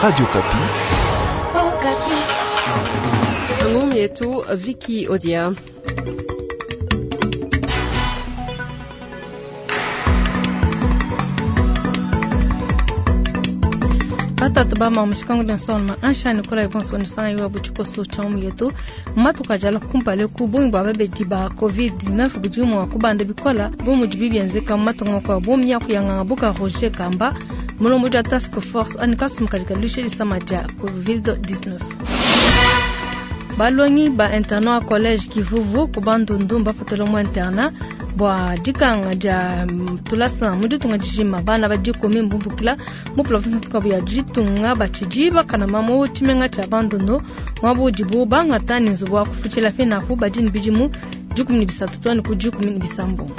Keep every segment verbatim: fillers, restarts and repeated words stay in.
Radio Okapi. Ngumi yetu Vicky Odia. Batatu ba mushikangu dia nsonga ansha nikola ibonso nisanga iwa butshikoso tsha mu yetu matuka jala kumpale ku bungi bua babedi ba covid dix-neuf budi mua kubanda bikola bu mudi bibienzeka mu matunga makuabu miaku ya nganga buka Roger Kamba mulombodi wa task force ani kasumu kadi kaluisha disama dia covid dix-neuf. Balongi ba internat collège Kivuvu ku Bandundu mbapatula mu internat bua dikanga dia tulasa mu ditunga dijima bana badikomi mbumbukila mu province tukabu ya ditunga batshidi bakana mu tshimenga tshia Bandundu mwabu udibu bangata ne nzubu wa kufutshila fenapu badi ne bidimu dikumi ne bisatu to ne ku dikumi ne bisambombo.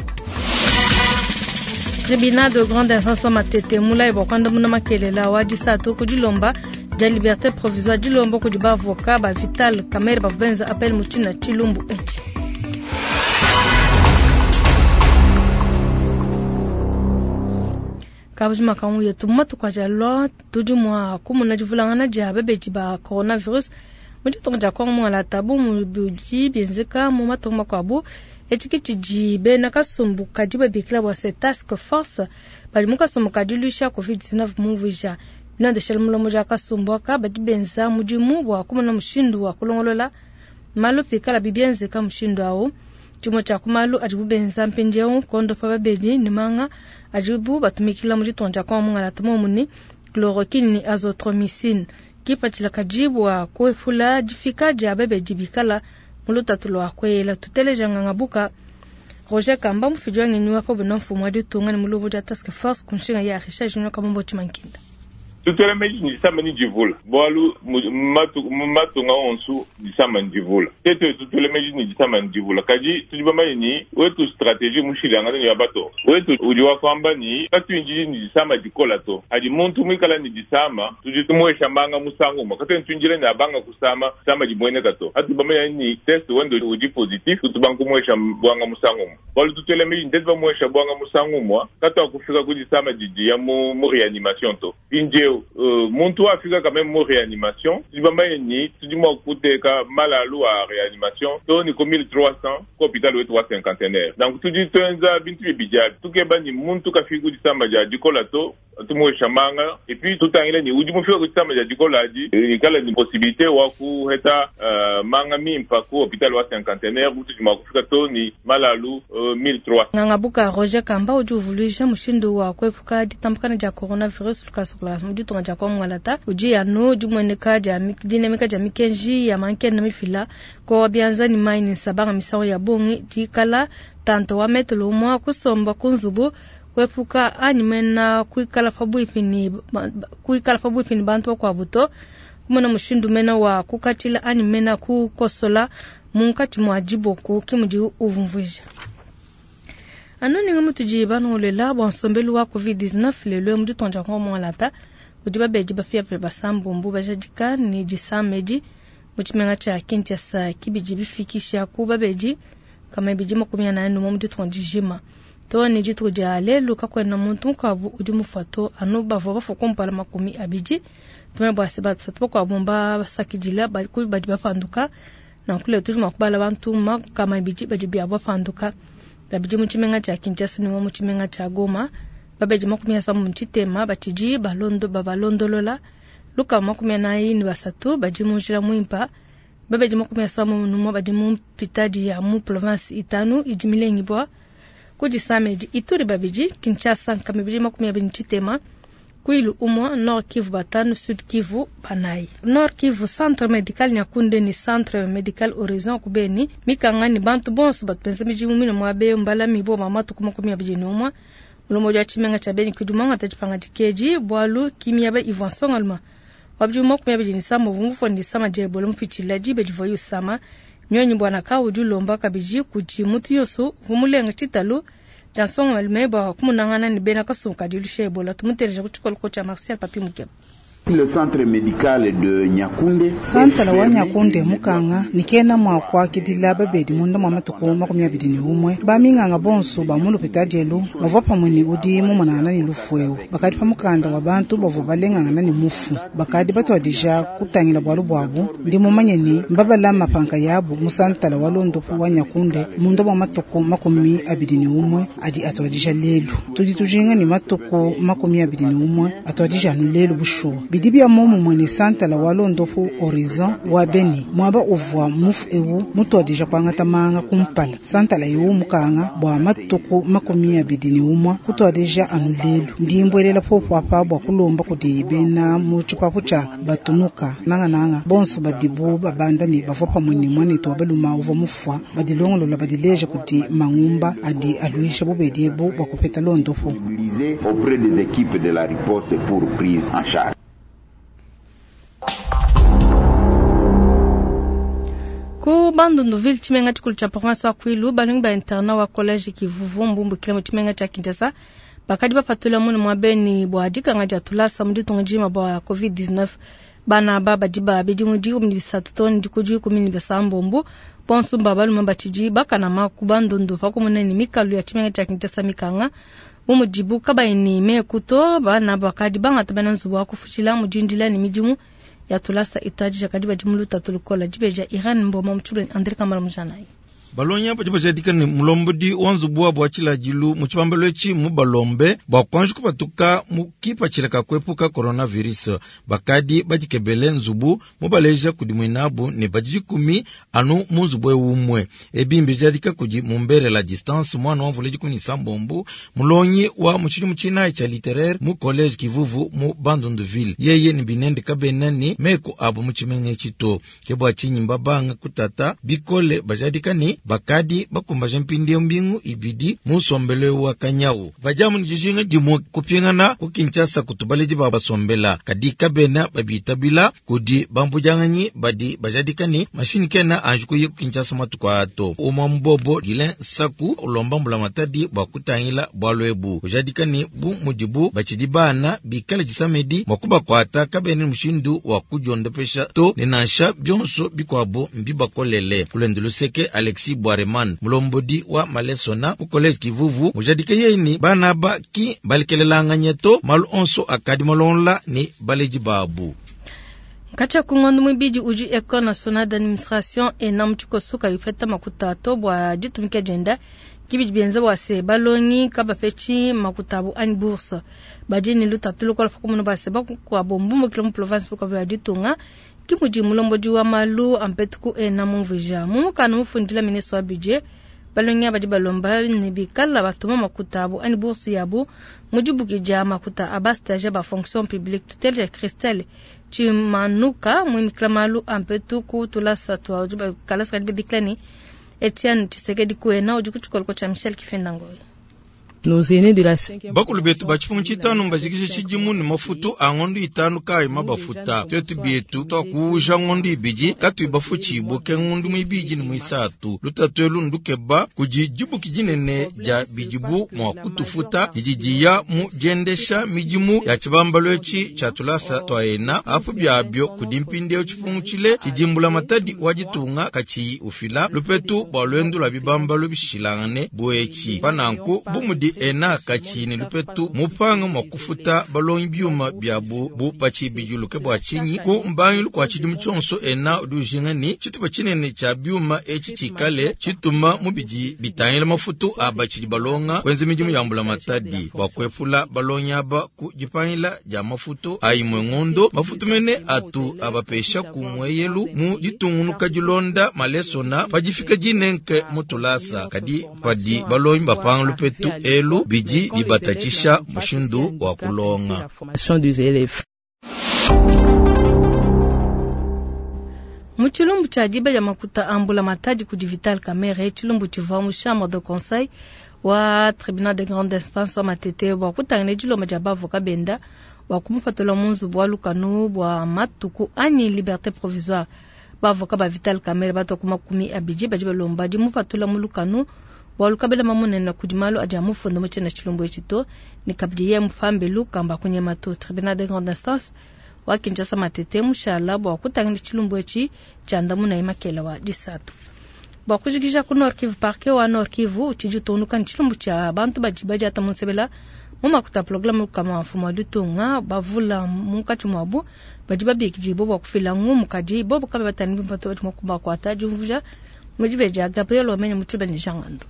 Tribunal de grande instance Matete mulayi bua kuandamuna makelela wa disatu ku dilomba dia liberté provisoire dilomba kudi ba avocat ba Vital Kamerhe bavua benza appel mu tshina tshilumbu etshi. Kabujima kangu yetu matuku aja lwa tudi mua kumuna divulangana dia babedi ba coronavirus mu ditunga dia Kongo mualata bu mudi bienzeka mu matunga makuabu etshi tshidi bena kasumbu kadi babikila bua se task force badi mu kasumbu kadiluisha covid dix-neuf mumvuija binandeshela mulomo dia kasumbu aka badi benza mudimu bua kumuna mushindu wa kulongolola malu pikala bibienzeka mushindu awu. Tshimue tshia ku malu adibu benza mpindieu kondopa babedi ne manga adibu batumikila mu ditunga dia Kongo mungalata momuni chloroquine ne azithromycine kipatshila kadi bua kuepula difika dia babedi bikala mu lutatu lua kuela. Tuteleja nganga buka Roger Kamba mufidi wa ngenyi wa pa mfumu wa ditunga ne mulombodi dia task force ku nshinga ya Richard Junior Kamombo Tshimankinda. Tutela meji ni disama ni divula bwalu mu matunga onso disama ni divula tete tutela meji ni disama ni divula kadi tudi bamanye ni wetu stratégie mushilangana ni ya bato wetu udi wa kwamba ni katuinjili ni disama dikola to adi muntu mwikala ni disama tudi tumwesha mbanga musangu mwa katu ntunjile ni abanga kusama sama dibweneka to atu bamanye ni test wendo udi positif tubankumwesha bwanga musangu mwa bwalu tutela meji ndeti bamwesha bwanga musangu mwa katu akufika ku disama didi ya mu, mu réanimation to injeo Uh, muntu afika quand même mu réanimation tudi bamanye ni tudi mua kuteka malalu a réanimation to ni ko mille trois cents ko hôpital wetu wa cinquantenaire donc tudi tuenza bintu bibidi abi tukeba ni muntu kafika ku disamba dia dikola to tumwesha manga et puis tutangile ni udi mufika ku disamba dia dikola adi ikala ni possibilité wa kuheta uh, manga mimpa ku hôpital wa cinquantenaire tudi mua kufika to ni malalu uh, mille trois cents. Nganga buka Roger Kamba udi uvuluija mushindu wa kuepuka ditambukana dia coronavirus lukasukula mu ditunga dia Kongo ngalata udi anu dimueneka dia dinemeka dia mikenji ya mankenda mifila ko bianza ni mai ni nsabanga misango ya bongi dikala tanto wa metelo mwa kusomba kunzubu kuepuka anyi mena kuikala pabuipi ni kuikala pabuipi ni bantu bakuabu to kumona mushindu mena wa kukatshila anyi mena kukosola munkatshi mua diboku ke mudi uvumvuija. Anu ninga mutudi banongolela bua nsombelu wa covid dix-neuf lelo mu ditunga dia Kongo mualata kudi babedi bafia basambombo bajadika ni disamedi mu tshimenga tshia Kinshasa kibidi bifikisha ku babedi kama bidi makumi anayi mu ditunga dijima to ni dituku dia lelu kakuena muntu mukuabu udi mufua to anu bavua bafua kumpala makumi abidi tumanye bua se basatu bakuabu mbasakidila badi bapanduka nanku lelo tudi mua kubala bantu makama abidi badi biabu bapanduka babidi mu tshimenga tshia Kinshasa ne mu tshimenga tshia Goma babedi makumi asambombo mu tshitema batshidi balondo babalondolola lukama makumi anayi ne basatu badi mu njila muimpa babedi makumi asambombo numue badi mu mpitadi ya mu province itanu idi milengibua ku disamedi Ituri babidi Kinshasa nkama ibidi makumi abidi ne tshitema Kwilu umua Nord Kivu batanu Sud Kivu banayi Nord Kivu Centre Medical Nyakunde ni Centre Medical Horizon kubeni mikanga ni bantu bonso batupenza midimu mine mwabe mbala mibo mama tukuma makumi abidi numue mulombodi wa tshimenga tshia Beni kudumanga tshipanga dikeji bwalu kimiaba Ivan Songalma wabidi makumi abidi ne sambo vumvu ni sama dia Ebola mupitshila dibe divua yusama nyonyi bwana ka udi ulomba kabidi kudi mutu yonso vumulenga tshitalu tshia Nsongalume bua kumunangana ne bena kasumbu ka diluisha Ebola tumuteleja ku tshikoloko tshia Martial Papi Mukeba. Le centre médical de Nyakunde. Santala wa Nyakunde mukanga nikena mwa kwakidila babedi munda mwa matuku makumi abidi ni umwe baminganga bonso ba mu lupitadielu bavua pamwe ni udi mumonana ni lufueu bakadi pa mukanda wa bantu bavua balengangana ni mufu bakadi batwadija kutangila bwalu bwabu ndi mumanye ni mbabala mapanka yabu mu santala wa londopu wa Nyakunde munda mwa matuku makumi abidi ni umwe adi atwadija lelu tudi tujinga ni matuku makumi abidi ni umwe atwadija nu lelu bushuwa bidibia momu mwene santala wa londopu horizon wa Beni mwaba uvwa mufu ewu mutwadija kwangata manga kumpala santala ewu mukanga bwa matuku makumi abidi ni umwa kutwadija anu lelu ndimbwelela popo apa bwa kulomba kudi bena mu tshipapu tshia batunuka nangananga bonso badibu babanda ni bavua pamwe ni mwanetu wa baluma uvua mufua badilongolola badileja kudi mangumba adi aluisha bubedi ebu bwa kupeta londopu auprès des équipes de la riposte pour prise en charge. Ku Bandunduville tshimenga tshikulu tshia province wa Kwilu balongi ba internat wa collège Kivuvu mbumbukile mu tshimenga tshia Kinshasa bakadi bapatula munu mwa beni bwa dikanga dia tulasa mu ditunga dima bwa covid dix-neuf bana aba badi ba bidimu dikumi ne bisatu to ne dikudi dikumi ne bisambombo bonso mba balume batshidi bakanama ku Bandundu pakumuna ne mikalu ya tshimenga tshia Kinshasa mikanga bu mudibu kabayi ne meku to bana bakadi bangata bena nzubu wa kufutshila mu dindila ne midimu ya tulasa itadija kadi badi mu lutatu lukola dibeja Iran Mboma mutshibule Andre Kamala Mujanayi. Balonya badi bajadika ne mulombodi wa nzubu wa bwa tshilajilu mu tshibambalo etshi mu balombe bua kuanji kupatuka mu kipatshila ka kuepuka coronavirus bakadi badikebele nzubu mubaleja kudi muinabu ne badi dikumi anu mu nzubu ewu umwe ebi mbijadika kudi mumbere la distance mwana wa mvula dikumi ne sambombo mulonyi wa mu tshidimu tshinayi tshia littéraire mu collège Kivuvu mu Bandunduville yeye ne binende kabena ne meko abu mu tshimenga etshi to ke bua tshinyi mbabanga kutata bikole bajadika ne bakadi bakumbaja mpindieu mbingu ibidi mu nsombelo wa kanyawu bajamu ni dijinga dimwe kupingana ku Kinshasa kutubaledi ba basombela kadi kabena babitabila kudi bambujanganyi badi bajadika ni mashini kena anji kuye ku Kinshasa matuku ato umwa mbobo Gilin Saku ulomba mbula matadi bua kutangila bwalu ebu ujadika ni bu mudibu bachidi bana bikale disamedi mwa kubakwata kabene mushindu wa kudiondopesha to ne nansha bionso bikwabo mbibakolele kulende luseke Alexis Bwareman mulombodi wa malesona mu collège Kivuvu mujadike yeni bana ba ki balikelelanganye to malu onso akadi malonla ni baleji babu. Kacha kungondu mwibidi uji École Nationale d'Administration ena mutshikosuka yufeta makuta to bwa ditumika jenda kibidi bienza bwa se balongi kabafechi makutabu ani bourse badi ni lutatu lukola fakumunu base bakukwabo mbumbukile mu province fuka ya ditunga kimudi mulombodi wa malu ampetuku ena mumvuija mumukana mufundila ministre wa budget balongi abadi balomba ne bikala batuma makuta abu ani bourse yabu mudibukija makuta aba stage ba fonction publique tutelle ya Christelle Chimanuka mwimikila malu ampetuku tulasa twa kalasa kadi biklani Etienne Tshisekedi kuena udi kutshikoloko tsha Michel Kifendangoy. Bakulu betu batshipungu tshitanu mbajikishe tshidimu ne mafutu a ngondo itanu kayi mabafuta twetu bietu twakuuja ngondo ibidi katuyi bafutshibuke ngondo muibidi ne muisatu lutatu elu ndukeba kudi dibuki dinene dia bidibu mua kutufuta didi diya mu diendesha midimu ya tshibambalo etshi tshia tulasa twaena apu biabio kudi mpindieu tshipungu tshile tshidimbula matadi wa ditunga katshiyi ufila lupetu bua luendu lua bibambalo bishilangane buetshi pananku bumudi ena kachini lupetu mupanga mwa kufuta balongi byuma byabu bu pachibijuluke bwa chinyi ku mbangilu kwa chidimu tshonso ena udi ni tshitupa tshinene tshia byuma etshi tshikale tshituma mubidi bitangila mafutu aba tshidi balonga kwenza midimu ya mbula matadi bwa kwefula balongi aba ku dipangila dia mafutu ayimwe ngondo mafutu mene atu abapesha ku mweyelu mu ditungunuka dilonda malesona pajifika dinenke mutulasa kadi padi balongi bapanga lupetu elu bidi bibatachisha mushindu wa kulonga. Mu tshilumbu tshia diba dia makuta ambula matadi kudi Vital Kamerhe tshilumbu tshivua mu chambre de conseil wa tribunal de grande instance wa Matete bua kutangila dilomba dia bavoka benda bua kumupatula mu nzubu wa lukanu bua matuku anyi liberté provisoire. Bavoka ba Vital Kamerhe batua ku makumi abidi badi balomba dimupatula mu lukanu bua lukabela mamunene kudi malu adi amufunda mu tshiena tshilumbu etshi to ne kabidi ye mufambelu kamba kunyema to. Tribunal de grande instance wa Kinshasa Matete mushala bua kutangila tshilumbu etshi tshiandamunayi makela wa disatu. Bua kujikija ku Nord Kivu, parquet wa Nord Kivu utshidi utungunuka ne tshilumbu tshia bantu badi badiata mu nsebela mu makuta programme kama mfumu wa ditunga bavula munkatshi muabu badi babikidibua bua kufila ngumu kadi bobo kabe batani bimpe badi mua kubakuata diumvuja mu dibeji ya Gabriel Wamenya mu tshiba ne Jean Ngando.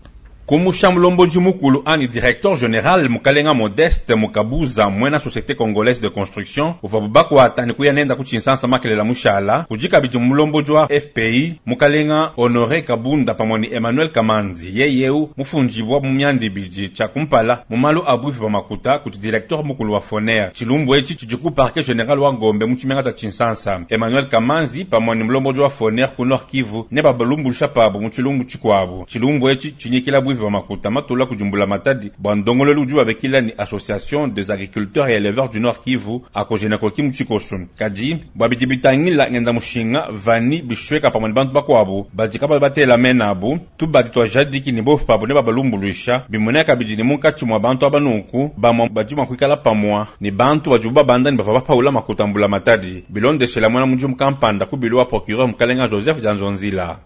Kumusha mulombodi mukulu ani directeur général mukalenga Modeste Mukabuza mwena société congolaise de construction uvua bakwata ni kuya nenda ku Tshinsansa makelela mushala kudi kabidi mulombodi wa FPI mukalenga Honoré Kabunda pamwe ni Emmanuel Kamanzi yeyeu mufunjibwa mu myanda ibidi tshia kumpala mu malu a bwivi bwa makuta kuti directeur mukulu wa FONER tshilumbu etshi tshidi ku parquet général wa Gombe mu tshimenga tshia Tshinsansa Emmanuel Kamanzi pamwe ni mulombodi wa FONER ku Nord Kivu ne babalumbuluisha pabu mu tshilumbu tshikuabu tshilumbu etshi tshinyikila bwivi bwa makuta matula kujumbula matadi bwa ndongololu udi babekila ni association des agriculteurs et éleveurs du Nord Kivu akojena koki mu tshikoso kadi bwa bidi bitangila ngenda mushinga vani bishweka pamwe ni bantu bakuabu badi kaba batela menabu tubadi twajadiki ni bofu pabu ne babalumbuluisha bimoneka bidi ni munkatshi mwa bantu abanuku bamwa badi mua kuikala pamwa ni bantu badi babanda ni bava bapaula makuta mbula matadi bilondeshela mwana mudimu kampanda ku bilo wa procureur mukalenga Joseph Dianzonzila.